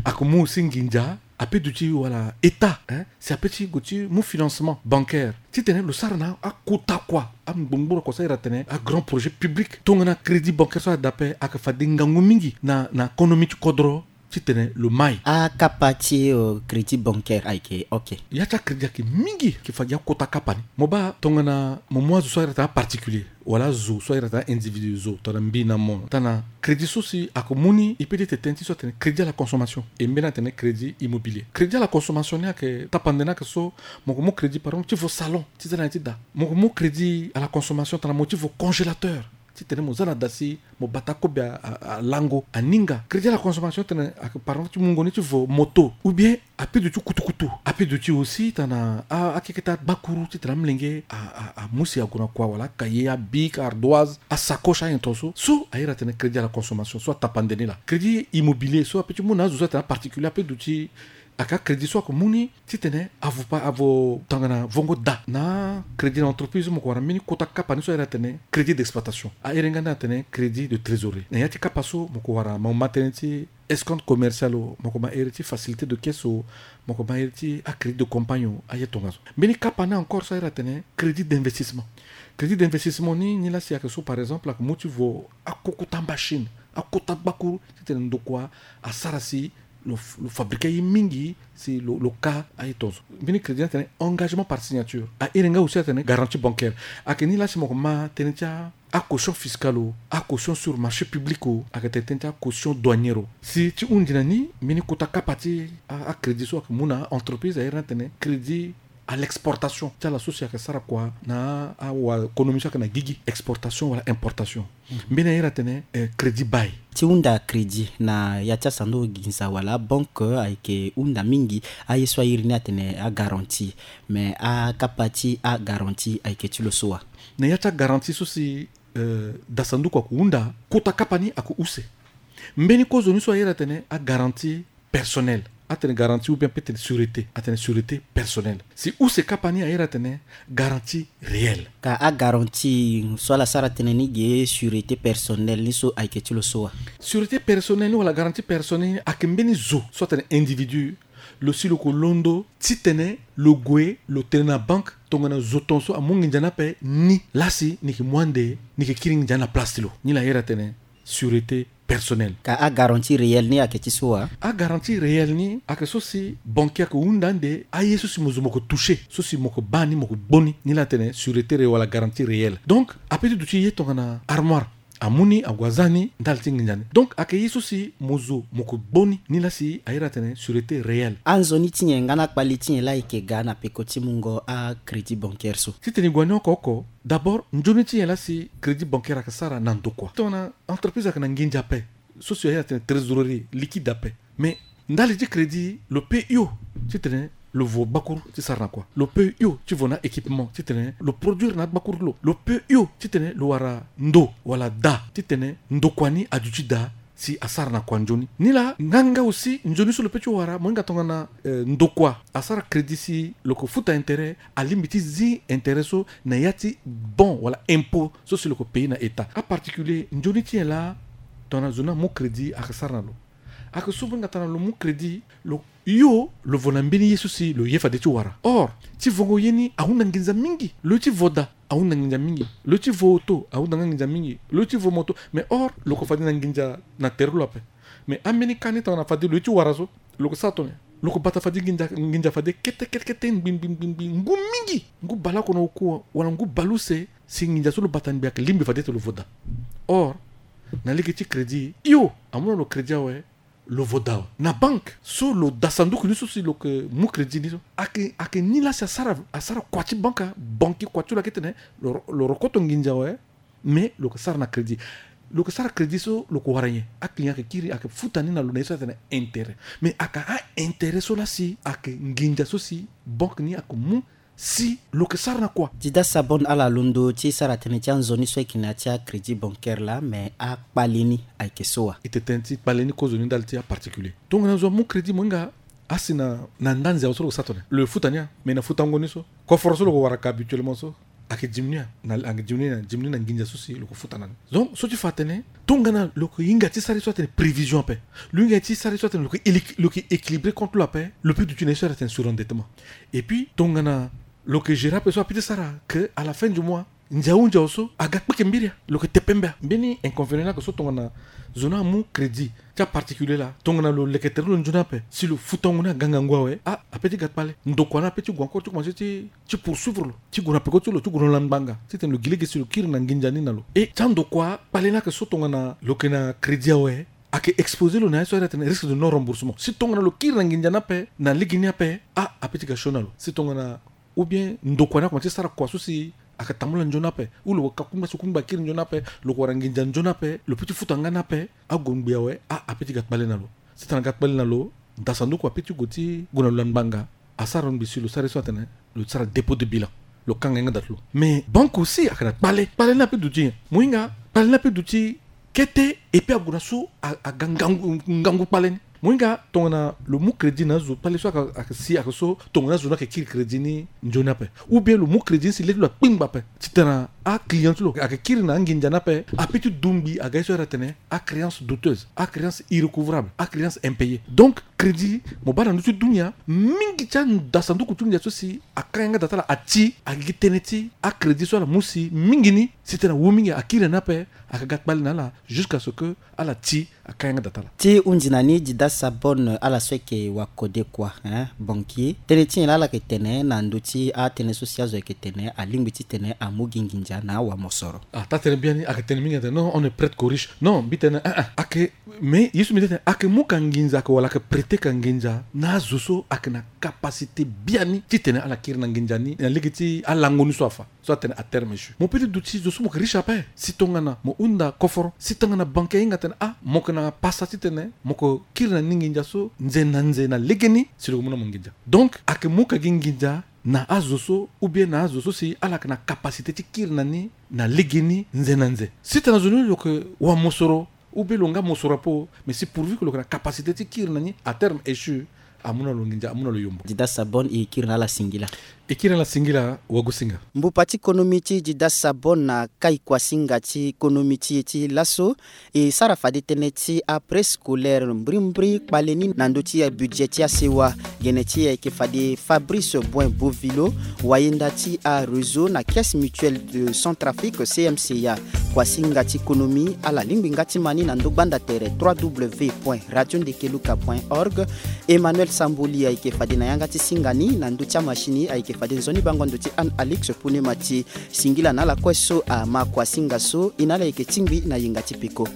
Ayeke mu aussi nginza ape duti wala état si ape ti gue ti mu financement bancaire titene lo sara na akota kua angbongboro kua so ayeke tene agrand projet public. Tongana crédit bancaire so ada ape ayeke fade ngangu mingi na na konomi ti kodro titene lo mai. Akapa ti crédit bancaire ayeke ok. Ya ti acrédit ayeke mingi ayeke fade akota kapa ni. Mo baa tongana mo mu azo so ayeke tene aparticulier wala azo so ayeke tene individu zo tongana mbi na mo tongana crédit so si ayeke mu ni e peut ti tene ti so atene crédit à la consommation. E mbeni atene crédit immobilier. Crédit à la consommation ni ayeke tapande ni ayeke so mo yeke mu crédit par exemple ti vo salon ti za na ya ti da. Mo yeke mu crédit à la consommation tongana mo ti vo congélateur titene mo za na da si mo bata akobe alango aninga. Crédit à la consommation tene ayeke par exemple ti mungo ni ti vo moto ou bien ape duti kutukutu. Ape duti aussi tongana akeke ti agbakuru titene amolenge amu si ague na kua wala akaye abic ardoise asacoche ayen tongaso so airi atene crédit à la consommation so atapande ni laa. Crédit immobilier so ape ti mu na azo so atene aparticulier ape duti aka crédit so ayeke mu ni titene avo pa avo tongana vongo da na crédit na entreprise so mo yeke wara mbeni kota kapa ni so airi atene crédit d'exploitation airi nga ni atene crédit de trésorerie. Na ya ti kapa so mo yeke wara mo ma tënë ti escompte commercial o mo yeke ma iri ti facilité de caisse o mo yeke ma iri ti acrédit de campagne o aye tongaso. Mbeni kapa ni encore so airi atene crédit d'investissement. Crédit d'investissement ni ni laa si ayeke so par exemple ayeke mu ti vo akokota machine akota gbakuru titene ndokua asara si lo fabriquer aye mingi si lo lo ka aye tongaso. Mbeni crédit ni atene engagement par signature. Airi nga aussi atene garantie bancaire. Ayeke ni laa si mo yeke ma tënë ti a acaution fiscale o acaution sur marché public o ayeke tene tënë ti acaution douanière o. Si ti hundi na ni mbeni kota kapa ti acrédit so ayeke mu na entreprise airi ni atene crédit à l'exportation ti ala so si ayeke sara kua na awakonomi so ayeke na gigi exportation wala importation. Mbeni airi atene crédit bail. Ti hunda crédit na ya ti asanduku ginza wala banque ayeke hunda mingi aye so airi ni atene agarantie. Mais akapa ti agarantie ayeke ti lo so wa? Na ya ti agarantie so si dasanduku ayeke hunda kota kapa ni ayeke use. Mbeni kozoni so airi atene agarantie personnel atene garantie ou bien peut-être sûreté atene sûreté personnel. Si use kapa ni airi atene garantie réelle. Ka agarantie so ala sara tënë ni ge sûreté personnel ni so ayeke ti lo so wa? Sûreté personnel ni wala garantie personnel ni ayeke mbeni zo so atene individu lo si lo yeke londo titene lo gue lo tene na banque tongana zo tongaso amu nginza ni ape ni laa si ni yeke mu ande ni yeke kiri nginza ni na place ti lo. Ni laa airi atene sûreté personnel. Ka agarantie réelle ni ayeke ti so wa? Agarantie réelle ni ayeke so si banquier ayeke hunda ande aye so si mo zo mo yeke toucher so si mo yeke baa ni mo yeke gbo ni ni laa atene sûreté réelle wala garantie réelle. Donc ape ti duti ye tongana armoire amu ni ague aza ni ndali ti nginza ni. Donc ayeke ye so si mo zo mo yeke gbo ni ni laa si airi atene sûreté réelle. Anzoni ti nyen nga na akpali ti nyen laa e yeke ga na peko ti mungo acrédit bancaire so? Titene e gue na ni oko oko d'abord nzoni ti nyen laa si crédit bancaire ayeke sara na ndokua tongana entreprise ayeke na nginza ape so si airi atene trésorerie liquide ape. Mais ndali ti crédit lo pe hio titene lo vo gbakuru ti sara na kua. Lo pe hio ti vo na équipement titene lo produire na agbakuru ti lo. Lo pe hio titene lo wara ndo wala da titene ndokua ni aduti daa si asara na kua nzoni. Ni laa nga nga aussi nzoni so lo pe ti wara mo hinga tongana ndokua asara crédit si lo yeke futa intérêt alingbi ti zi intérêt so na ya ti bon wala impôt so si lo yeke payer na état. Aparticulier nzoni ti nyen laa tongana zo ni amu crédit ayeke sara na lo? Ayeke so mo hinga tongana lo mu crédit lo hio lo vo na mbeni ye so si lo ye fade ti wara. Or ti vongo ye ni ahunda nginza mingi. Lo ye ti vo da ahunda nginza mingi. Lo ye ti vo oto ahunda nga nginza mingi. Lo ye ti vo moto. Mais or lo yeke fade na nginza na tere ti lo ape. Mais ambeni ka ni tongana fade lo ye ti wara so lo yeke sara tongana lo yeke bata fade nginza nginza fade kete kete kete ngbi ngbi ngbi ngbi ngu mingi ngu baleoko na oku wala ngu baleuse. Si nginza so lo bata ngbi ayeke lingbi fade ti lo vo da. Or na lege ti crédit hio amu na lo crédit awe lo vo da awe. Na banque so lo da sanduku ni so si lo yeke mu crédit ni so ayeke ayeke ni laa si asara asara kua ti banque banque kua ti lo ayeke tene lo rokoto nginza awe. Mais lo yeke sara na crédit. Lo yeke sara crédit so lo yeke wara nyen? Aclient ayeke kiri, ayeke futa ni na lo na ye so atene intérêt. Mais ayeke a-intérêt so laa si ayeke nginza so si banque ni ayeke mu si lo yeke sara na kua. Dida Sabon, ala londo ti sara tënë ti anzoni so ayeke na ya ti acrédit bancaire laa, mais akpale ni ayeke so wa? E tene ti kpale ni kozo ni ndali ti aparticulier. Tongana zo amu crédit, mo hinga asi na, na nda nze awe so lo yeke sa tene lo yeke futa ni ya, mais na futango ni so, koforo so lo yeke wara ka habituellement so, ayeke diminuer na, ayeke diminuer na, diminuer na nginza so si lo yeke futa na ni. Donc so ti fa atene tongana lo yeke hinga ti sara ye so atene prévision ape, lo hinga ti sara ye so atene lo yeke éli-, lo yeke équilibré compte lo ape, lo peut duti na ye so atene surendettement. Et puis tongana lo yeke gérer ape so apeut ti sara que à la fin du mois, ndia ahunzi awe so aga kpeke mbiri ya, lo yeke tepe mbe ya. Mbeni inconvénient ni ayeke so tongana zo ni amu crédit ti aparticulier laa, tongana lo leke tere lo nzoni ape si lo futango ni aga ngangu awe, ah, apeut ti ga kpale. Ndokua ni apeut ti gue encore ti komanse ti, ti poursuivre lo, ti gue na peko ti lo, ti gue na lo na ngbanga titene lo gi lege si lo kiri na nginza ni na lo. E ti andokua kpale ni ayeke so tongana lo yeke na crédit awe, ayeke exposer lo na ye so atene risque de non remboursement. Si tongana lo kiri na nginza ni ape na lege ni ape, ah, apeut ti ga sioni na lo. Si tongana ou bien ndokua ni akomanse ti sara kua so si ayeke tambula nzoni ape, ou lo ka kungba si kungba akiri nzoni ape, lo yeke wara nginza nzoni ape, lo peut ti futa nga ni ape, ague ngbii awe, ah, apeut ti ga kpale na lo. Si tongana aga kpale na lo, da sanduku apeut ti gue ti gue na lo na ngbanga, asara ngbii si lo sara ye so atene lo sara dépôt de bilan, lo kanga yanga da ti lo. Mais banque aussi ayeke na kpale, kpale ni apeut duti nyen? Mo hinga kpale ni apeut duti kete, et puis ague na so a, aga ngangu, ngangu kpale ni. Mo hinga tongana lo mu crédit na azo, kpale so ayeke, ayeke si ayeke so tongana azo ni ayeke kiri crédit ni nzoni ape, ou bien lo mu crédit ni si le ti lo akpingba ape, titene aclient ti lo ayeke kiri na anginza ni ape, apeut ti du ngbii aga ye so atene acréance douteuse, acréance irrécouvrable, acréance impayée. Donc crédit, mo baa na ndö ti dunia mingi ti anda sanduku ti nginza so si aka yanga da ti ala ati, agigi tënë ti acrédit so ala mu si mingi ni, si tena awu mingi akiri na ni ape, ayeke ga kpale na ala jusqu'à ce que ala ti aka yanga da ti ala. Ti hunzi na ni, Dida Sabon, ala so ayeke wakode kua, hein, banquier, tënë ti nyen laa ala yeke tene na ndö ti atënë so si azo ayeke tene alingbi titene amu gi nginza na awamosoro? Ah, taa tënë biani ayeke tene mingi atene non, on ne prête qu'aux riches. Non, mbi tene, ah, ah, ayeke, mais ye so mbi tene ayeke mu ka nginza, ayeke wala ayeke prêter ka nginza na azo so ayeke na capacité biani titene ala kiri na nginza ni na lege ti alango ni so afa. So atene à terme échu. Mo peut ti duti zo so mo yeke riche ape. Si tongana mo hunda koforo, si tongana banquier ahinga atene, ah, mo yeke na pasa titene mo yeke kiri na ni nginza so nze na nze na legeni, si lo yeke mu na mo nginza. Donc ayeke mu ka gi nginza na azo so, ou bien na azo so si ala yeke na capacité ti kiri na ni na legeni nze na nze. Si tongana zo ni lo yeke wamosoro, ou bien lo nga mosoro apo, mais si pourvu que lo yeke na capacité ti kiri na ni, à terme échu, amu na lo nginza, amu na lo yombo. Dida Sabon, e kiri na ala singila. E kiri na ala singila, wagosinga. Mbupa ti konomi ti Dida Sabon na kai kuasinga ti konomi ti e ti laso. E sara fade tënë ti apréscolaire mbrimbri kpale ni na ndö ti abudget ti asewa. Gene ti e ayeke fade Fabrice Boin Bovilo, wayenda ti aréseau na Caisse Mutuelle de Centrafrique, C M C A. Kuasinga ti konomi, ala lingbi nga ti ma ni na ndö gbanda tere, trois W point radio ndekeluka point org. Emmanuel Samboli ayeke fade na yanga ti singa ni, na ndö ti amachine ayeke fade nzoni bango ndo ti Anne Alix Punemati. Singila na ala kue so ama kuasinga so, e na ala yeke tingbi na yenga ti peko.